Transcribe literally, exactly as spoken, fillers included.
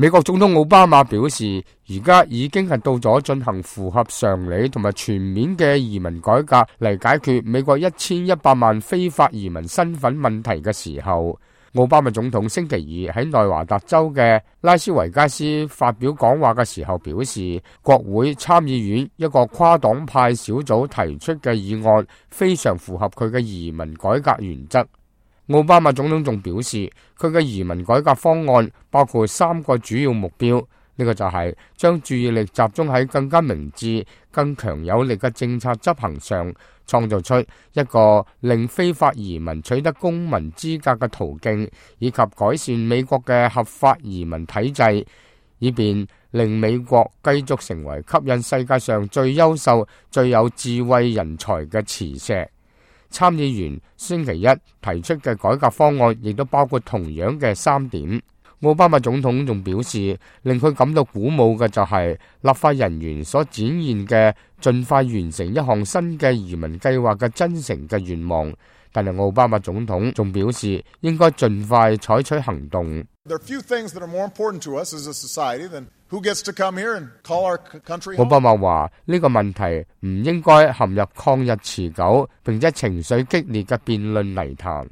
美國總統奧巴馬表示，而家已經係到咗進行符合常理同埋全面嘅移民改革嚟解決美國一千一百萬非法移民身份問題嘅時候。奧巴馬總統星期二喺內華達州嘅拉斯維加斯發表講話嘅時候表示，國會參議院一個跨黨派小組提出嘅議案非常符合佢嘅移民改革原則。奧巴馬總統仲表示，佢嘅移民改革方案包括三個主要目標，呢個就係將注意力集中喺更加明智、更強有力嘅政策執行上，創造出一個令非法移民取得公民資格嘅途徑，以及改善美國嘅合法移民體制，以便令美國繼續成為吸引世界上最優秀、最有智慧人才嘅磁石。參議員星期一提出嘅改革方案亦都包括同樣嘅三點。奧巴馬總統仲表示，令佢感到鼓舞嘅就係立法人員所展現嘅盡快完成一項新嘅移民計劃嘅真誠嘅願望。但係奧巴馬總統仲表示，應該盡快採取行動。奧巴馬話呢個問題唔應該陷入曠日持久並且情緒激烈嘅辯論泥潭。